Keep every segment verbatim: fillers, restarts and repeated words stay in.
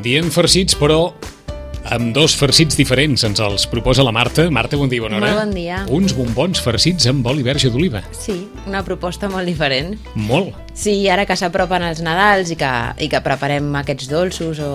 Diem farcits, però amb dos farcits diferents ens els proposa la Marta. Marta, bon dia, bona hora. Molt bon dia. Uns bombons farcits amb oli verge d'oliva. Sí, una proposta molt diferent. Molt. Sí, ara que s'apropen els Nadals i que, i que preparem aquests dolços o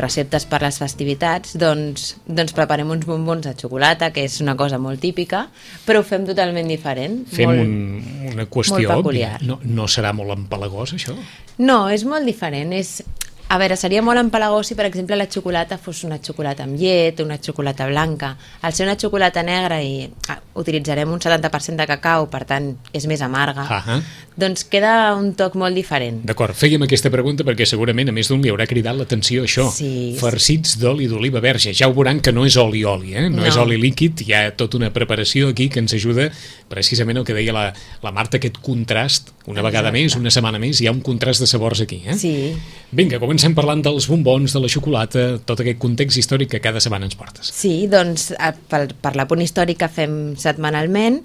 receptes per les festivitats, doncs, doncs preparem uns bombons de xocolata, que és una cosa molt típica, però ho fem totalment diferent. Fem molt, un, una qüestió molt òbvia. peculiar. No, no serà molt empalagós, això? No, és molt diferent. És... A veure, seria molt empalagós si, per exemple, la xocolata fos una xocolata amb llet, una xocolata blanca. Al ser una xocolata negra i ah, utilitzarem un setanta per cent de cacau, per tant, és més amarga, Ah -ha. doncs queda un toc molt diferent. D'acord, fèiem aquesta pregunta perquè segurament a més d'un li haurà cridat l'atenció això. Sí. Farcits d'oli d'oliva verge. Ja ho veuran que no és oli-oli, eh? no, No. és oli líquid, hi ha tota una preparació aquí que ens ajuda precisament el que deia la, la Marta, aquest contrast, una Exacte. vegada més, una setmana més, hi ha un contrast de sabors aquí. Eh? Sí. Vinga, comencem parlant dels bombons, de la xocolata, tot aquest context històric que cada setmana ens portes. Sí, doncs a- per, per la punt històric que fem setmanalment,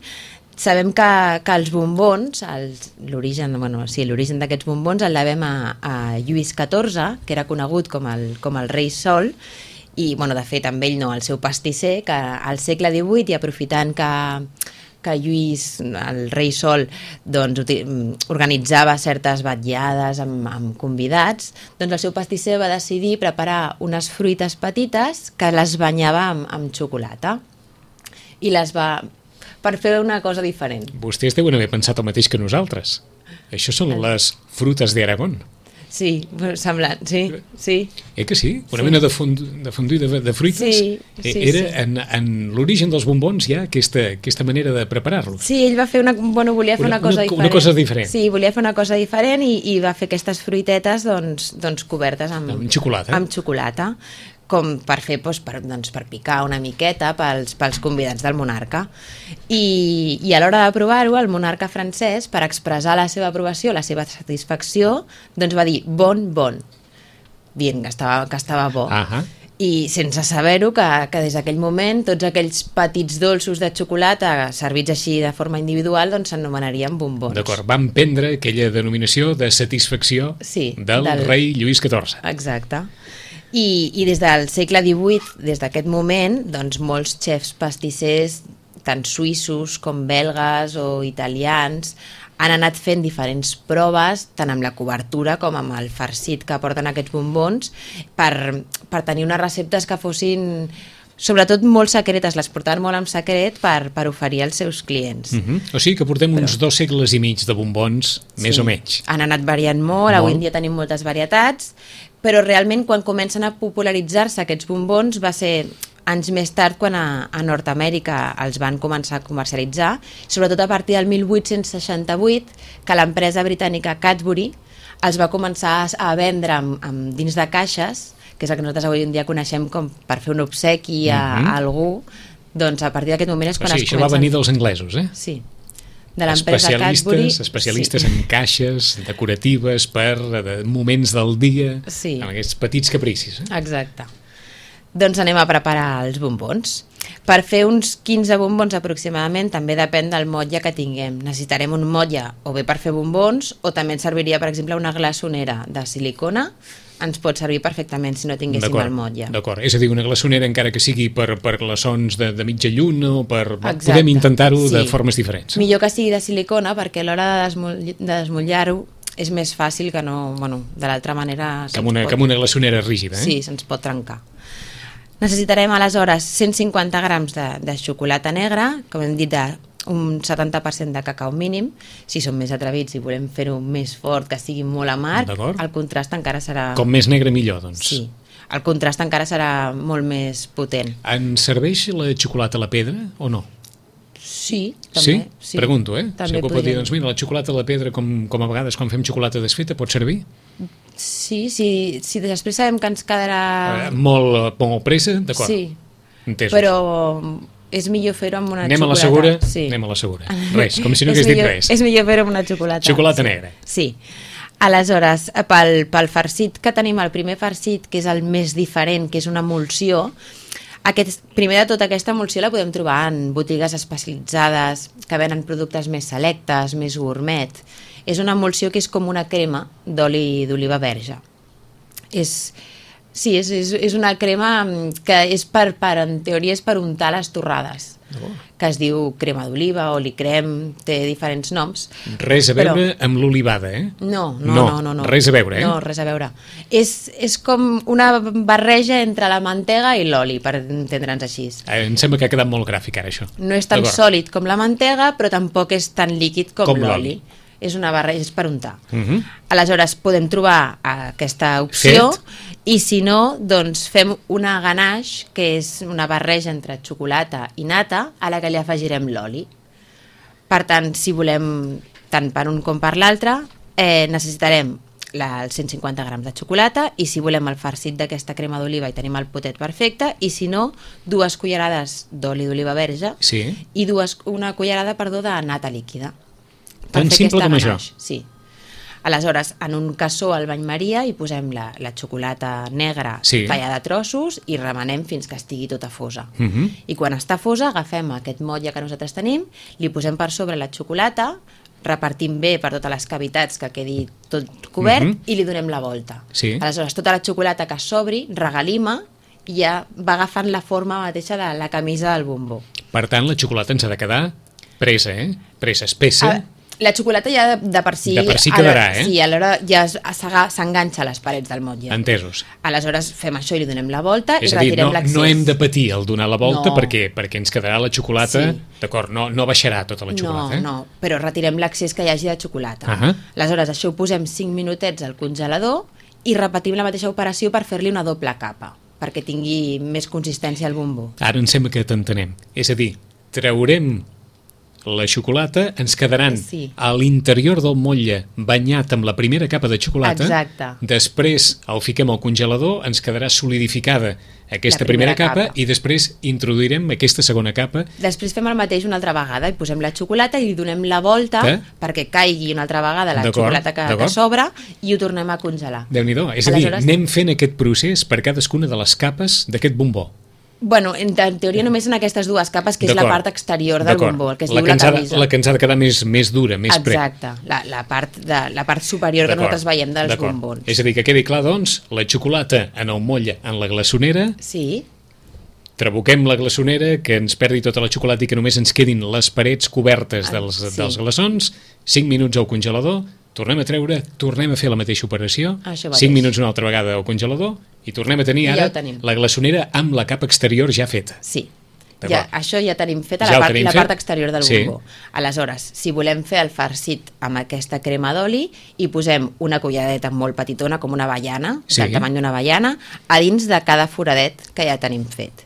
sabem que, que els bombons, els- l'origen bueno, sí, l'origen d'aquests bombons el devem a, a Lluís catorze, que era conegut com el, com el rei Sol, i bueno, de fet amb ell no, el seu pastisser, que al segle divuit, i aprofitant que que Lluís, el rei Sol, doncs, organitzava certes vetllades amb, amb convidats, doncs el seu pastisser va decidir preparar unes fruites petites que les banyava amb, amb xocolata i les va... per fer una cosa diferent. Vostès deuen haver pensat el mateix que nosaltres. Això són les frutes d'Aragón. Sí, semblant, sí, sí. Eh que sí? Una Sí. mena de, fond, de fondue de, de fruites. Sí, Eh, sí, Era sí. en, en l'origen dels bombons ja aquesta, aquesta manera de preparar-los. Sí, ell va fer una... Bueno, volia fer Una- una, cosa una- diferent. una cosa diferent. Sí, volia fer una cosa diferent i, i va fer aquestes fruitetes doncs, doncs cobertes amb, Amb xocolata. amb xocolata, com per fer doncs, per, doncs, per picar una miqueta pels, pels convidats del monarca. I, i a l'hora de provar-ho, el monarca francès, per expressar la seva aprovació, la seva satisfacció, doncs va dir bon, bon. Dient que estava, que estava bo. Ahà. I sense saber-ho, que, que des d'aquell moment tots aquells petits dolços de xocolata servits així de forma individual doncs s'anomenarien bombons. D'acord, van prendre aquella denominació de satisfacció Sí, del, del- rei Lluís catorze. Exacte. I, i des del segle divuit, des d'aquest moment, doncs molts xefs pastissers, tant suïssos com belgues o italians, han anat fent diferents proves, tant amb la cobertura com amb el farcit que porten aquests bombons, per, per tenir unes receptes que fossin sobretot molt secretes, les portaven molt en secret per, per oferir als seus clients. Uh -huh. O sigui que portem Però... uns dos segles i mig de bombons, més Sí. o menys. Han anat variant molt, Molt. avui en dia tenim moltes varietats, però realment quan comencen a popularitzar-se aquests bombons va ser anys més tard quan a, a Nord-Amèrica els van començar a comercialitzar, sobretot a partir del mil vuit-cents seixanta-vuit, que l'empresa britànica Cadbury els va començar a vendre amb, amb dins de caixes, que és el que nosaltres avui en dia coneixem com per fer un obsequi a, Mhm. a algú, doncs a partir d'aquest moment és O quan sigui, es això va comencen... venir dels anglesos, eh? Sí, de l'empresa Cadbury. Especialistes, especialistes sí. en caixes decoratives per de moments del dia, Sí. amb aquests petits capricis. Eh? Exacte. Doncs anem a preparar els bombons. Per fer uns quinze bombons aproximadament també depèn del motlle que tinguem. Necessitarem un motlle o bé per fer bombons o també ens serviria, per exemple, una glaçonera de silicona. Ens pot servir perfectament si no tinguéssim el motlle. D'acord, és a dir, una glaçonera encara que sigui per, per glaçons de, de mitja lluna o per... Exacte. Podem intentar-ho de Sí. formes diferents. Millor que sigui de silicona perquè a l'hora de, desmull- de desmullar-ho és més fàcil que no... Bueno, de l'altra manera... Que amb una, se'ns que amb una glaçonera rígida, eh? Sí, se'ns pot trencar. Necessitarem aleshores cent cinquanta grams de, de xocolata negra, com hem dit, de un setanta per cent de cacau mínim. Si som més atrevits i volem fer-ho més fort, que sigui molt amarg, D'acord. el contrast encara serà... Com més negre millor, doncs. Sí, el contrast encara serà molt més potent. Ens serveix la xocolata a la pedra o no? Sí, també. Sí? Pregunto, eh? També Si algú pot dir, podríem. doncs mira, la xocolata a la pedra, com, com a vegades quan fem xocolata desfeta, pot servir? Sí, sí, si després sabem que ens quedarà... Eh, molt, molt pressa, d'acord. Sí, Entesos. però és millor fer-ho amb una Anem a la xocolata. segura? Sí. Anem a la segura. Res, com si no És hagués dit millor- res. És millor fer-ho amb una xocolata. Xocolata sí. negra. Sí. Aleshores, pel, pel farcit que tenim, el primer farcit, que és el més diferent, que és una emulsió, aquest, primer de tot, aquesta emulsió la podem trobar en botigues especialitzades que venen productes més selectes, més gourmet. És una emulsió que és com una crema d'oli d'oliva verge. És, Sí, és, és, és una crema que és per, per, en teoria és per untar les torrades, oh. que es diu crema d'oliva, oli crem, té diferents noms. Res a veure però... amb l'olivada, eh? No no, no, no, no, no. Res a veure, eh? No, res a veure. És, és com una barreja entre la mantega i l'oli, per entendre'ns així. Eh, em sembla que ha quedat molt gràfic ara, això. No és tan sòlid com la mantega, però tampoc és tan líquid com, com l'oli. És una barreja, és per untar. Uh -huh. Aleshores podem trobar aquesta opció fet. I si no, doncs fem una ganache, que és una barreja entre xocolata i nata, a la que li afegirem l'oli. Per tant, si volem tant per un com per l'altre, eh, necessitarem la, els cent cinquanta grams de xocolata, i si volem el farcit d'aquesta crema d'oliva hi tenim el potet perfecte, i si no, dues cullerades d'oli d'oliva verge sí. i dues, una cullerada, perdó, de nata líquida. Tan simple com això? Sí. Aleshores, en un cassó al bany maria hi posem la, la xocolata negra sí. tallada a trossos i remenem fins que estigui tota fosa. Uh -huh. I quan està fosa agafem aquest motlle que nosaltres tenim, li posem per sobre la xocolata, repartim bé per totes les cavitats que quedi tot cobert uh -huh. i li donem la volta. Sí. Aleshores, tota la xocolata que s'obri regalima i ja va agafant la forma mateixa de la camisa del bombó. Per tant, la xocolata ens ha de quedar presa, eh? Presa, espessa. A La xocolata ja de, de per si... De per si quedarà, eh? Sí, alhora ja s'enganxa a les parets del motlle. Entesos. Aleshores fem això i li donem la volta és i retirem És l'accés. a dir, no, no hem de patir el donar la volta no. perquè, perquè ens quedarà la xocolata... Sí. D'acord, no, no baixarà tota la xocolata, no, eh? No, no, però retirem l'accés que hi hagi de xocolata. Uh -huh. Aleshores, això ho posem cinc minutets al congelador i repetim la mateixa operació per fer-li una doble capa, perquè tingui més consistència al bombó. Ara em sembla que t'entenem. És a dir, traurem la xocolata, ens quedaran sí. a l'interior del motlle banyat amb la primera capa de xocolata. Exacte. Després el fiquem al congelador, ens quedarà solidificada aquesta primera, primera capa, capa i després introduirem aquesta segona capa. Després fem el mateix una altra vegada i posem la xocolata i li donem la volta que? perquè caigui una altra vegada la xocolata que, que s'obre i ho tornem a congelar. Déu-n'hi-do. És Aleshores... a dir, anem fent aquest procés per cadascuna de les capes d'aquest bombó. Bueno, en, en teoria només en aquestes dues capes, que és la part exterior del bombó, el que es la diu que la camisa. Ha, la que ens ha de quedar més, més dura, més pre. Exacte, la, la, part de, la part superior que nosaltres veiem dels bombons. És a dir, que quedi clar, doncs, la xocolata en el motlle, en la glaçonera, sí. trabuquem la glaçonera, que ens perdi tota la xocolata i que només ens quedin les parets cobertes dels, sí. dels glaçons, cinc minuts al congelador, tornem a treure, tornem a fer la mateixa operació, cinc minuts una altra vegada al congelador i tornem a tenir ara ja la glaçonera amb la capa exterior ja feta. Sí, ja, això ja tenim feta, ja la, part, la fet. part exterior del sí. bombó. Aleshores, si volem fer el farcit amb aquesta crema d'oli, hi posem una culleradeta molt petitona, com una avellana, sí. del tamany d'una avellana, a dins de cada foradet que ja tenim fet.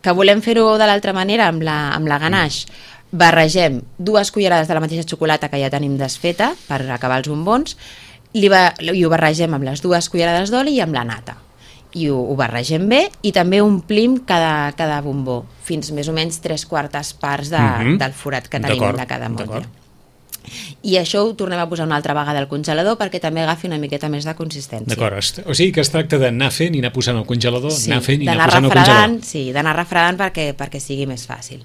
Que volem fer-ho de l'altra manera amb la, amb la ganache, barregem dues cullerades de la mateixa xocolata que ja tenim desfeta per acabar els bombons i ho barregem amb les dues cullerades d'oli i amb la nata. I ho, ho barregem bé i també omplim cada, cada bombó fins més o menys tres quartes parts de, mm-hmm. del forat que tenim de cada motlle. I això ho tornem a posar una altra vegada al congelador perquè també agafi una miqueta més de consistència. D'acord, o sigui que es tracta d'anar fent i anar posant al congelador, sí, anar fent i anar posant al congelador. Sí, d'anar refredant perquè, perquè sigui més fàcil.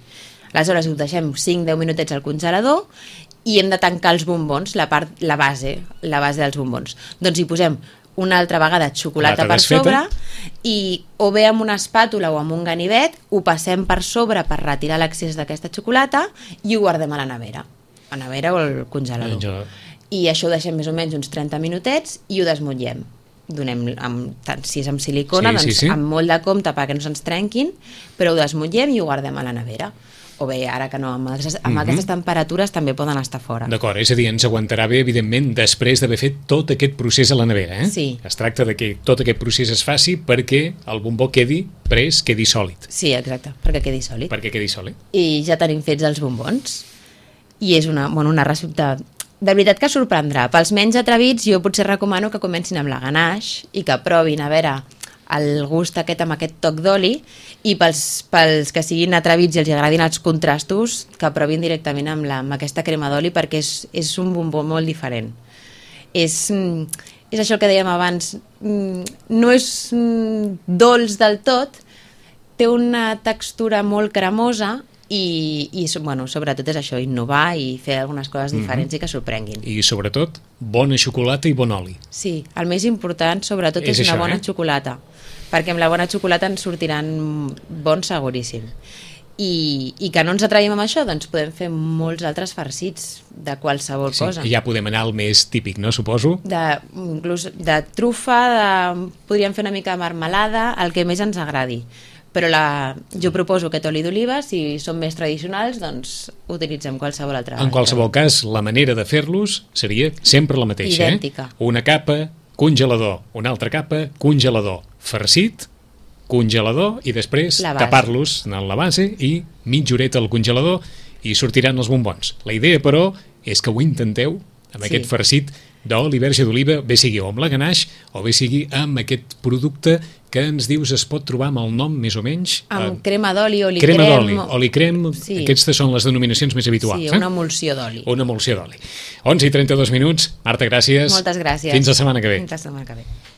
Aleshores ho deixem cinc a deu minutets al congelador i hem de tancar els bombons, la part, la base, la base dels bombons. Doncs hi posem una altra vegada xocolata per sobre i o bé amb una espàtula o amb un ganivet ho passem per sobre per retirar l'accés d'aquesta xocolata i ho guardem a la nevera, a la nevera o al congelador. Jo... I això ho deixem més o menys uns trenta minutets i ho desmotllem. Donem, amb, tant, si és amb silicona, sí, doncs sí, sí. amb molt de compte perquè no se'ns trenquin, però ho desmotllem i ho guardem a la nevera. O bé, ara que no, amb, aquestes, amb mm-hmm. aquestes temperatures també poden estar fora. D'acord, és a dir, ens aguantarà bé, evidentment, després d'haver fet tot aquest procés a la nevera, eh? Sí. Es tracta de que tot aquest procés es faci perquè el bombó quedi pres, quedi sòlid. Sí, exacte, perquè quedi sòlid. Perquè quedi sòlid. I ja tenim fets els bombons. I és una, bueno, una recepta... De veritat que sorprendrà. Pels menys atrevits, jo potser recomano que comencin amb la ganache i que provin a veure el gust aquest amb aquest toc d'oli i pels, pels que siguin atrevits i els agradin els contrastos que provin directament amb, la, amb aquesta crema d'oli perquè és, és un bombó molt diferent. És, és això que dèiem abans, no és dolç del tot, té una textura molt cremosa i, i bueno, sobretot és això, innovar i fer algunes coses diferents mm-hmm. i que sorprenguin. I sobretot, bona xocolata i bon oli. Sí, el més important sobretot és, és una això, bona eh? xocolata, perquè amb la bona xocolata ens sortiran bons seguríssim. I, i que no ens atraïm amb això, doncs podem fer molts altres farcits de qualsevol sí, cosa. I ja podem anar al més típic, no, suposo? De, inclús de trufa, de, podríem fer una mica de marmelada, el que més ens agradi. Però la, jo proposo aquest oli d'oliva, si són més tradicionals, doncs utilitzem qualsevol altra. En qualsevol cas, la manera de fer-los seria sempre la mateixa. Idèntica. Eh? Una capa, congelador, una altra capa, congelador, farcit, congelador i després tapar-los en la base i mitja horeta al congelador i sortiran els bombons. La idea, però, és que ho intenteu amb sí. aquest farcit d'oli verge d'oliva, bé sigui o amb la ganache o bé sigui amb aquest producte que ens dius es pot trobar amb el nom més o menys... Amb eh, crema d'oli, oli crema crem... d'oli, oli crem, sí. Aquestes són les denominacions més habituals. Sí, una emulsió d'oli. Eh? Una emulsió d'oli. onze i trenta-dos minuts. Marta, gràcies. Moltes gràcies. Fins la setmana que ve. Fins la setmana que ve.